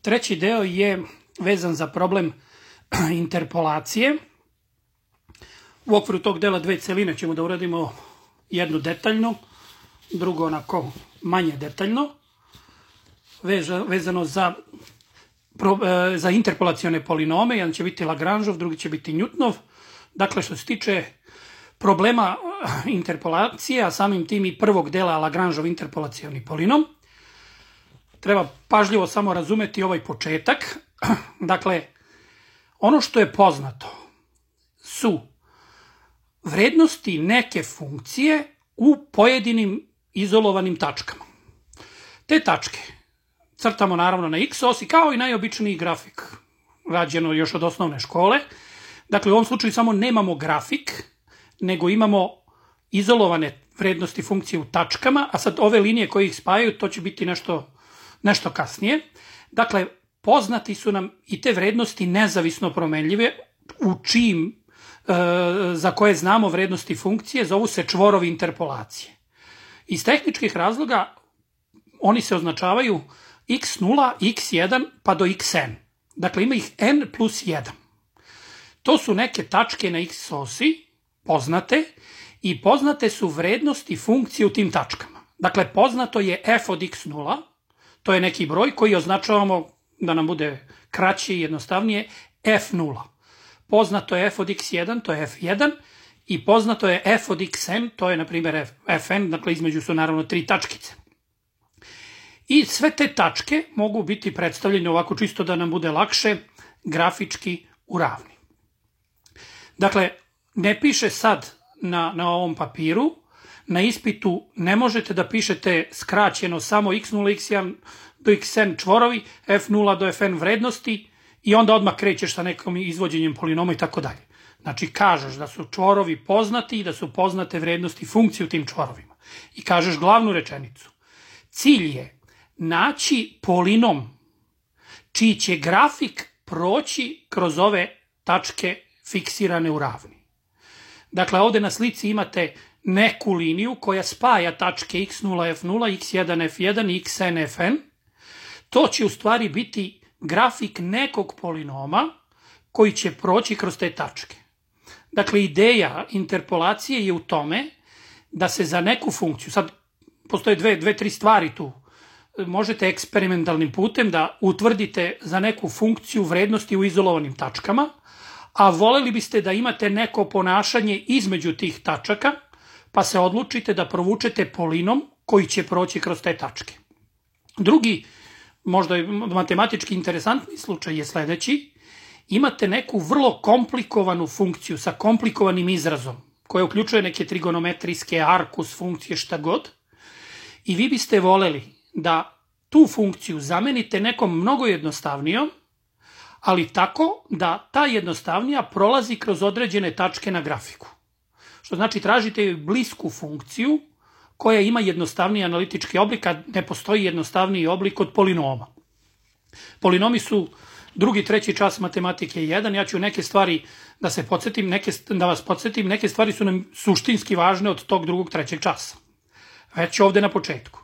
Treći deo je vezan za problem interpolacije. U okviru tog dela dve celine ćemo da uradimo jednu detaljno, drugo onako manje detaljno, vezano za interpolacione polinome. Jedan će biti Lagrangeov, drugi će biti Newtonov. Dakle, što se tiče problema interpolacije, a samim tim i prvog dela Lagrangeov interpolacioni polinom, treba pažljivo samo razumeti ovaj početak. Dakle, ono što je poznato su vrednosti neke funkcije u pojedinim izolovanim tačkama. Te tačke crtamo naravno na x-osi kao i najobičniji grafik, rađeno još od osnovne škole. Dakle, u ovom slučaju samo nemamo grafik, nego imamo izolovane vrednosti funkcije u tačkama, a sad ove linije koje ih spajaju, to će biti nešto kasnije. Dakle, poznati su nam i te vrednosti nezavisno promenljive, za koje znamo vrednosti funkcije, zovu se čvorovi interpolacije. Iz tehničkih razloga oni se označavaju x0, x1 pa do xn. Dakle, ima ih n plus 1. To su neke tačke na x-osi, poznate, i poznate su vrednosti funkcije u tim tačkama. Dakle, poznato je f od x0, to je neki broj koji označavamo, da nam bude kraće i jednostavnije, f0. Poznato je f od x1, to je f1, i poznato je f od xn, to je na primjer fn, dakle između su naravno tri tačkice. I sve te tačke mogu biti predstavljene ovako čisto da nam bude lakše, grafički u ravni. Dakle, ne piše sad na ovom papiru, na ispitu ne možete da pišete skraćeno samo x0, x1 do xn čvorovi, f0 do fn vrednosti i onda odmah krećeš sa nekom izvođenjem polinoma i tako dalje. Znači, kažeš da su čvorovi poznati i da su poznate vrednosti funkcije u tim čvorovima. I kažeš glavnu rečenicu. Cilj je naći polinom čiji će grafik proći kroz ove tačke fiksirane u ravni. Dakle, ovde na slici imate neku liniju koja spaja tačke x0, f0, x1, f1 i xn, fn. To će u stvari biti grafik nekog polinoma koji će proći kroz te tačke. Dakle, ideja interpolacije je u tome da se za neku funkciju, sad postoje dve, tri stvari tu, možete eksperimentalnim putem da utvrdite za neku funkciju vrednosti u izolovanim tačkama, a voleli biste da imate neko ponašanje između tih tačaka, pa se odlučite da provučete polinom koji će proći kroz te tačke. Drugi, možda je matematički interesantni slučaj je sledeći. Imate neku vrlo komplikovanu funkciju sa komplikovanim izrazom, koja uključuje neke trigonometrijske, arkus funkcije, šta god, i vi biste voleli da tu funkciju zamenite nekom mnogo jednostavnijom, ali tako da ta jednostavnija prolazi kroz određene tačke na grafiku. Što znači tražite blisku funkciju koja ima jednostavniji analitički oblik, a ne postoji jednostavniji oblik od polinoma. Polinomi su drugi, treći čas matematike 1. Ja ću neke stvari da vas podsjetim, neke stvari su nam suštinski važne od tog drugog, trećeg časa. Već ovde na početku.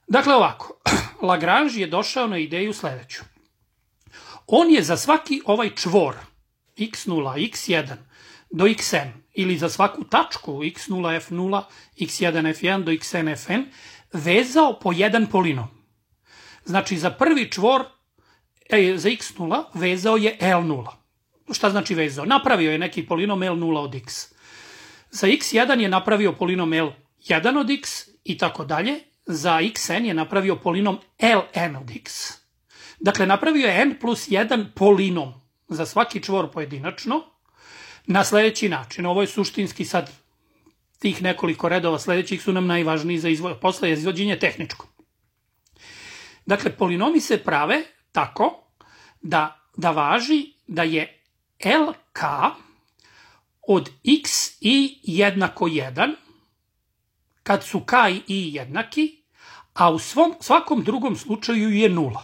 Dakle, ovako, Lagrange je došao na ideju sledeću. On je za svaki ovaj čvor x0, x1 do xn, ili za svaku tačku x0, f0, x1, f1 do xn, fn, vezao po jedan polinom. Znači, za prvi čvor, za x0, vezao je L0. Šta znači vezao? Napravio je neki polinom L0 od x. Za x1 je napravio polinom L1 od x i tako dalje. Za xn je napravio polinom Ln od x. Dakle, napravio je n plus 1 polinom za svaki čvor pojedinačno na sledeći način. Ovo je suštinski sad tih nekoliko redova sledećih su nam najvažniji posle izvođenja tehničko. Dakle, polinomi se prave tako da važi da je LK od x i jednako 1, kad su k i i jednaki, a u svakom drugom slučaju je 0.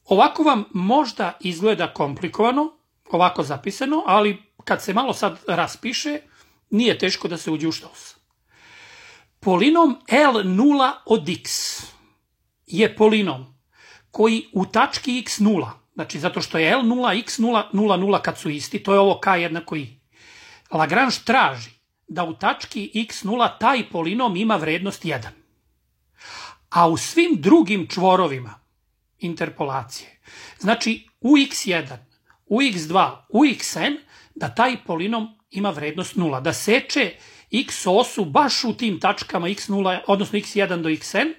Ovako vam možda izgleda komplikovano, ovako zapisano, ali kad se malo sad raspiše, nije teško da se uđe u štos. Polinom L0 od x je polinom koji u tački x0, znači zato što je L0, x0, 0, 0 kad su isti, to je ovo k jednako i. Lagrange traži da u tački x0 taj polinom ima vrednost 1. A u svim drugim čvorovima interpolacije, znači u x1, u x2, u xn, da taj polinom ima vrednost 0, da seče x osu baš u tim tačkama x0, odnosno x1 do xn,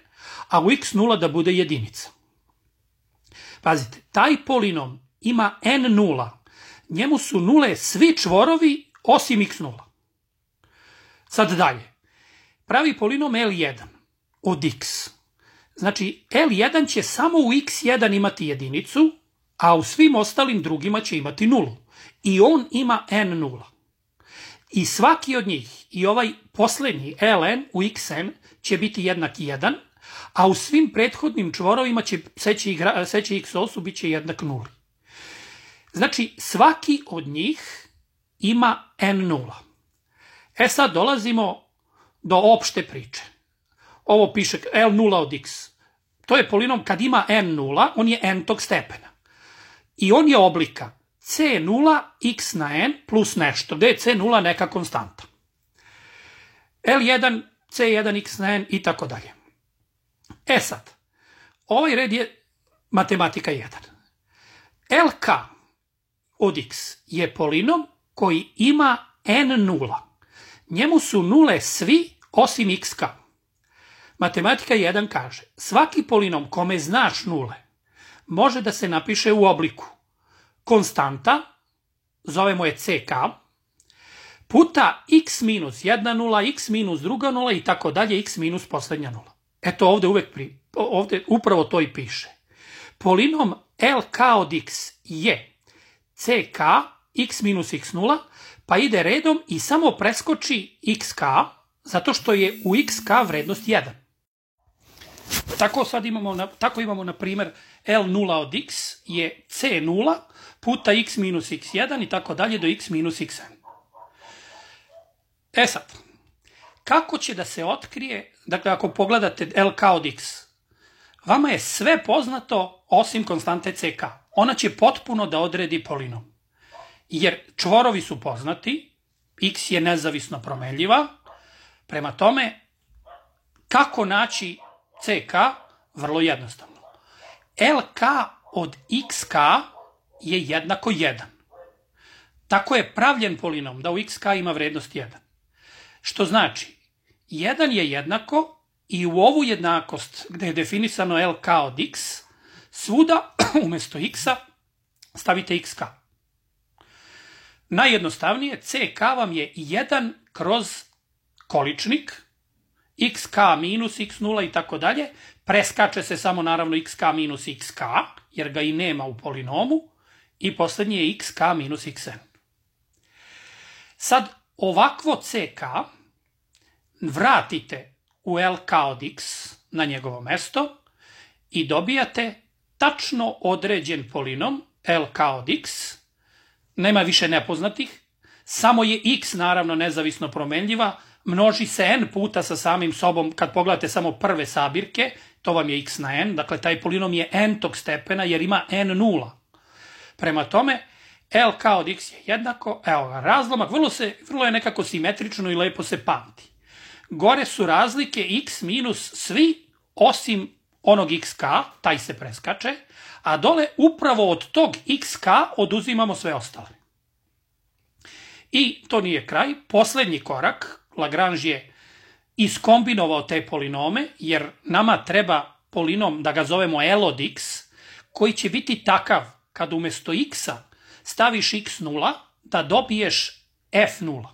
a u x0 da bude jedinica. Pazite, taj polinom ima n nula, njemu su nule svi čvorovi osim x0. Sad dalje, pravi polinom L1 od x. Znači, L1 će samo u x1 imati jedinicu, a u svim ostalim drugima će imati nulu. I on ima n nula. I svaki od njih, i ovaj poslednji Ln u xn će biti jednak 1, a u svim prethodnim čvorovima će seći x osu bit će jednak nuli. Znači, svaki od njih ima n nula. Sad dolazimo do opšte priče. Ovo piše L0 od x. To je polinom kad ima n nula, on je n-tog stepena. I on je oblika c0 x na n plus nešto, gde je c0 neka konstanta. L1, c1 x na n i tako dalje. Sad, ovaj red je matematika 1. LK od x je polinom koji ima n nula. Njemu su nule svi osim xk. Matematika 1 kaže, svaki polinom kome znaš nule može da se napiše u obliku konstanta, zovemo je ck, puta x minus jedna nula, x minus druga nula i tako dalje, x minus poslednja nula. Eto ovde upravo to i piše. Polinom LK od x je ck x minus x0, pa ide redom i samo preskoči xk, zato što je u xk vrednost 1. Tako imamo, na primer, L0 od x je c0 puta x minus x1 i tako dalje do x minus xn. Sad, kako će da se otkrije, dakle ako pogledate LK od x, vama je sve poznato osim konstante ck. Ona će potpuno da odredi polinom. Jer čvorovi su poznati, x je nezavisno promenljiva, prema tome, kako naći ck? Vrlo jednostavno. LK od xk je jednako 1. Tako je pravljen polinom da u xk ima vrednost 1. Što znači, 1 je jednako i u ovu jednakost gde je definisano LK od x, svuda umesto x-a stavite xk. Najjednostavnije, ck vam je 1 kroz količnik, xk minus x0 i tako dalje, preskače se samo naravno xk minus xk, jer ga i nema u polinomu, i poslednji je xk minus xn. Sad, ovakvo ck vratite u LK od x na njegovo mesto i dobijate tačno određen polinom LK od x, nema više nepoznatih, samo je x naravno nezavisno promenljiva, množi se n puta sa samim sobom, kad pogledate samo prve sabirke, to vam je x na n, dakle taj polinom je n-tog stepena jer ima n nula. Prema tome, LK od x je jednako, evo ga, razlomak, vrlo je nekako simetrično i lepo se pamti. Gore su razlike x minus svi osim onog xk, taj se preskače, a dole upravo od tog xk oduzimamo sve ostale. I to nije kraj, poslednji korak, Lagrange je iskombinovao te polinome, jer nama treba polinom da ga zovemo L od x, koji će biti takav kad umesto x-a staviš x0 da dobiješ f0.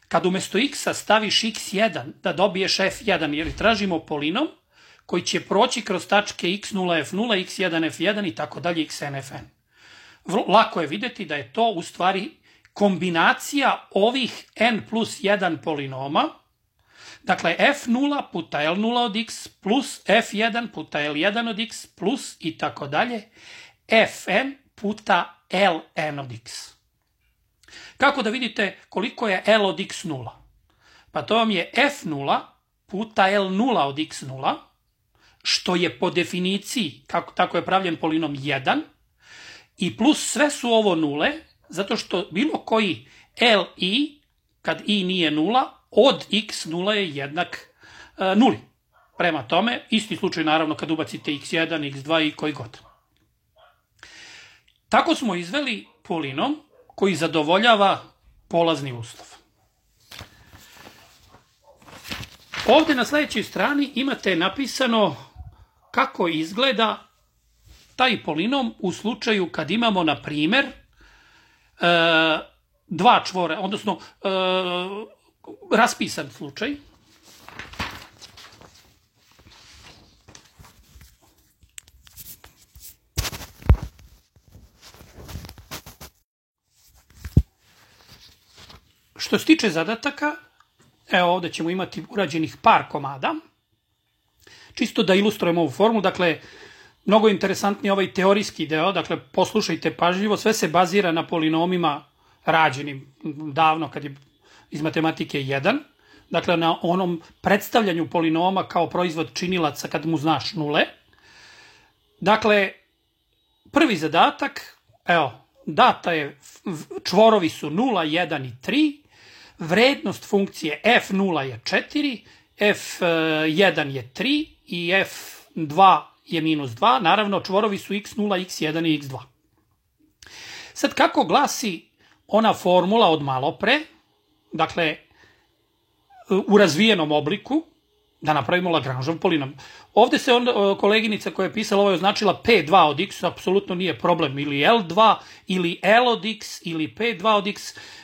Kad umesto x-a staviš x1 da dobiješ f1, jer tražimo polinom koji će proći kroz tačke x0, f0, x1, f1 i tako dalje, xn, fn. Lako je videti da je to u stvari kombinacija ovih n plus 1 polinoma, dakle f0 puta L0 od x plus f1 puta L1 od x plus i tako dalje, fn puta Ln od x. Kako da vidite koliko je L od x 0? Pa to vam je f0 puta L0 od x0, što je po definiciji, tako je pravljen polinom 1, i plus sve su ovo nule, zato što bilo koji li, kad i nije nula, od x nula je jednak nuli. Prema tome, isti slučaj naravno kad ubacite x1, x2 i koji god. Tako smo izveli polinom koji zadovoljava polazni uslov. Ovde na sledećoj strani imate napisano kako izgleda taj polinom u slučaju kad imamo, na primer, dva čvora, odnosno raspisan slučaj. Što se tiče zadataka, evo ovde ćemo imati urađenih par komada. Čisto da ilustrujemo ovu formu, dakle, mnogo interesantniji ovaj teorijski deo, dakle, poslušajte pažljivo, sve se bazira na polinomima rađenim davno kad je iz matematike 1, dakle, na onom predstavljanju polinoma kao proizvod činilaca kad mu znaš nule. Dakle, prvi zadatak, evo, data je, čvorovi su 0, 1 i 3, vrednost funkcije f0 je 4, f1 je 3 i f2 je minus 2, naravno čvorovi su x0, x1 i x2. Sad kako glasi ona formula od malopre, dakle u razvijenom obliku, da napravimo Lagrangeov polinom. Ovde se koleginica koja je pisala ovo je označila P2 od x, apsolutno nije problem, ili L2, ili L od x, ili P2 od x.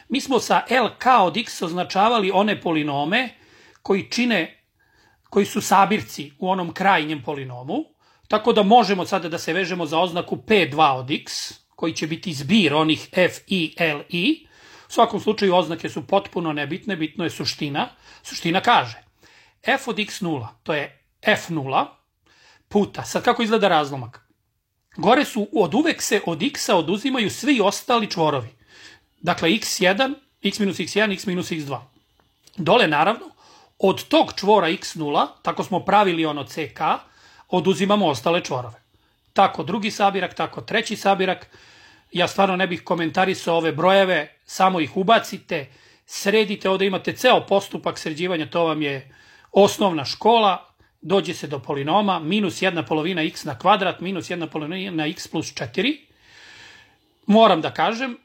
Mi smo sa LK od x označavali one polinome koji su sabirci u onom krajnjem polinomu, tako da možemo sada da se vežemo za oznaku P2 od x, koji će biti zbir onih f, i, l, i. U svakom slučaju oznake su potpuno nebitne, bitno je suština. Suština kaže f od x0, to je f0 puta, sad kako izgleda razlomak? Gore su, od uvek se od x-a oduzimaju svi ostali čvorovi. Dakle, x1, x minus x1, x minus x2. Dole, naravno, od tog čvora x0, tako smo pravili ono ck, oduzimamo ostale čvorove. Tako drugi sabirak, tako treći sabirak. Ja stvarno ne bih komentarisao ove brojeve, samo ih ubacite, sredite, ovde imate ceo postupak sređivanja, to vam je osnovna škola, dođe se do polinoma, minus 1/2 x na kvadrat, minus 1/2 x plus 4. Moram da kažem,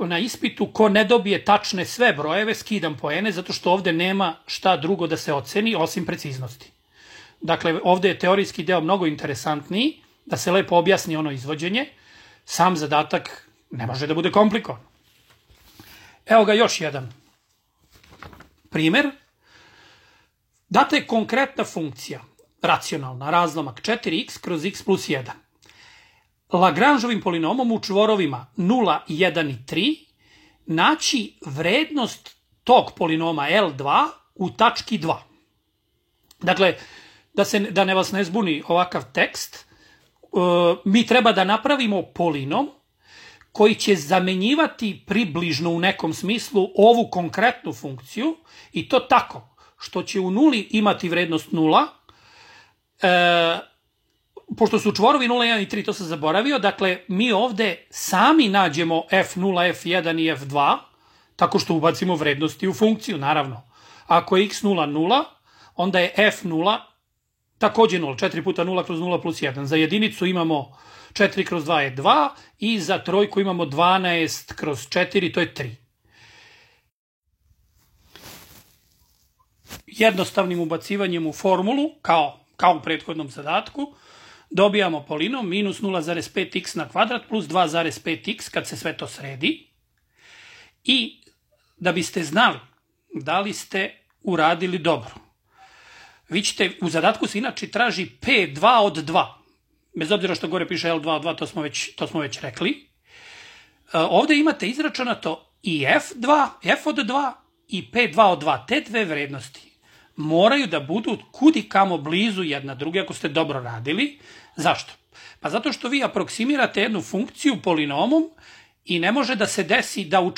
na ispitu ko ne dobije tačne sve brojeve, skidam poene, zato što ovde nema šta drugo da se oceni osim preciznosti. Dakle, ovde je teorijski deo mnogo interesantniji, da se lepo objasni ono izvođenje, sam zadatak ne može da bude komplikovan. Evo ga još jedan primer. Data je konkretna funkcija, racionalna, razlomak 4x kroz x plus 1. Lagrangeovim polinomom u čvorovima 0, 1 i 3 naći vrednost tog polinoma L2 u tački 2. Dakle, da ne vas ne zbuni ovakav tekst, mi treba da napravimo polinom koji će zamenjivati približno u nekom smislu ovu konkretnu funkciju i to tako što će u nuli imati vrednost 0, pošto su čvorovi 0, 1 i 3, to sam zaboravio, dakle mi ovde sami nađemo f0, f1 i f2 tako što ubacimo vrednosti u funkciju, naravno. Ako je x0 0, onda je f0 takođe 0, 4 puta 0 kroz 0 plus 1. Za jedinicu imamo 4 kroz 2 je 2 i za trojku imamo 12 kroz 4, to je 3. Jednostavnim ubacivanjem u formulu, kao u prethodnom zadatku, dobijamo polinom minus 0,5x na kvadrat plus 2,5x kad se sve to sredi. I da biste znali da li ste uradili dobro, vi ćete, u zadatku se inače traži P2 od 2. Bez obzira što gore piše L2 od 2, to smo već rekli. Ovde imate izračunato i F2, F od 2 i P2 od 2. Te dve vrednosti moraju da budu kudi kamo blizu jedna druge ako ste dobro radili. Zašto? Pa zato što vi aproksimirate jednu funkciju polinomom i ne može da se desi da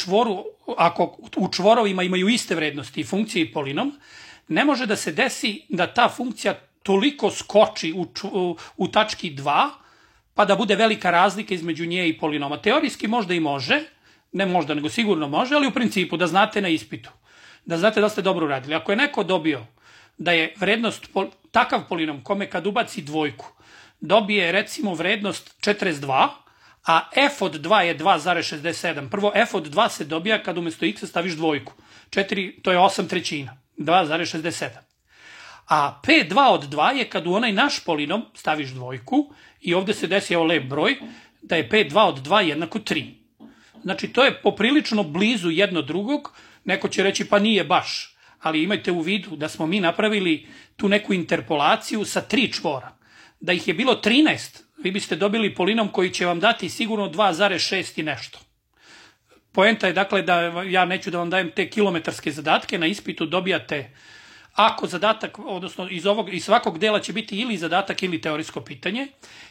ako u čvorovima imaju iste vrednosti i funkcije i polinom, ne može da se desi da ta funkcija toliko skoči u tački 2, pa da bude velika razlika između nje i polinoma. Teorijski možda i može, ne možda, nego sigurno može, ali u principu da znate na ispitu, da znate da ste dobro uradili. Ako je neko dobio da je vrednost, takav polinom kome kad ubaci dvojku, dobije recimo vrednost 42, a f od 2 je 2,67. Prvo, f od 2 se dobija kad umesto x staviš dvojku. 4, to je 8/3, 2,67. A P2 od 2 je kad u onaj naš polinom staviš dvojku i ovde se desi, evo lep broj, da je P2 od 2 jednako 3. Znači, to je poprilično blizu jedno drugog. Neko će reći, pa nije baš. Ali imajte u vidu da smo mi napravili tu neku interpolaciju sa 3 čvora. Da ih je bilo 13, vi biste dobili polinom koji će vam dati sigurno 2,6 i nešto. Poenta je dakle da ja neću da vam dajem te kilometarske zadatke, na ispitu dobijate, ako zadatak, odnosno iz svakog dela će biti ili zadatak ili teorijsko pitanje.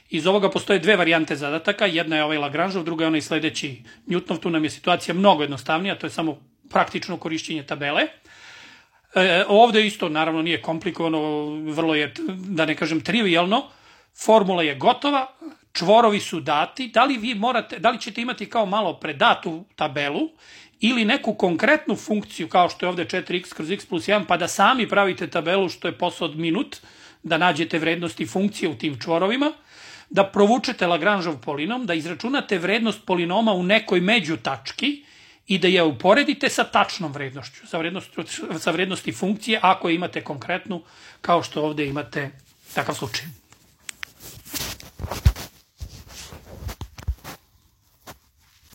Iz ovoga postoje dve varijante zadataka, jedna je ovaj Lagrangeov, druga je onaj sledeći Newtonov, tu nam je situacija mnogo jednostavnija, to je samo praktično korišćenje tabele. Ovde isto naravno nije komplikovano, vrlo je, da ne kažem, trivijalno, formula je gotova, čvorovi su dati, da li ćete imati kao malo predatu tabelu ili neku konkretnu funkciju kao što je ovde 4x kroz x plus 1, pa da sami pravite tabelu, što je posao od minut, da nađete vrednosti funkcije u tim čvorovima, da provučete Lagrangeov polinom, da izračunate vrednost polinoma u nekoj međutački i da je uporedite sa tačnom vrednošću, sa vrednosti funkcije, ako imate konkretnu, kao što ovde imate takav slučaj.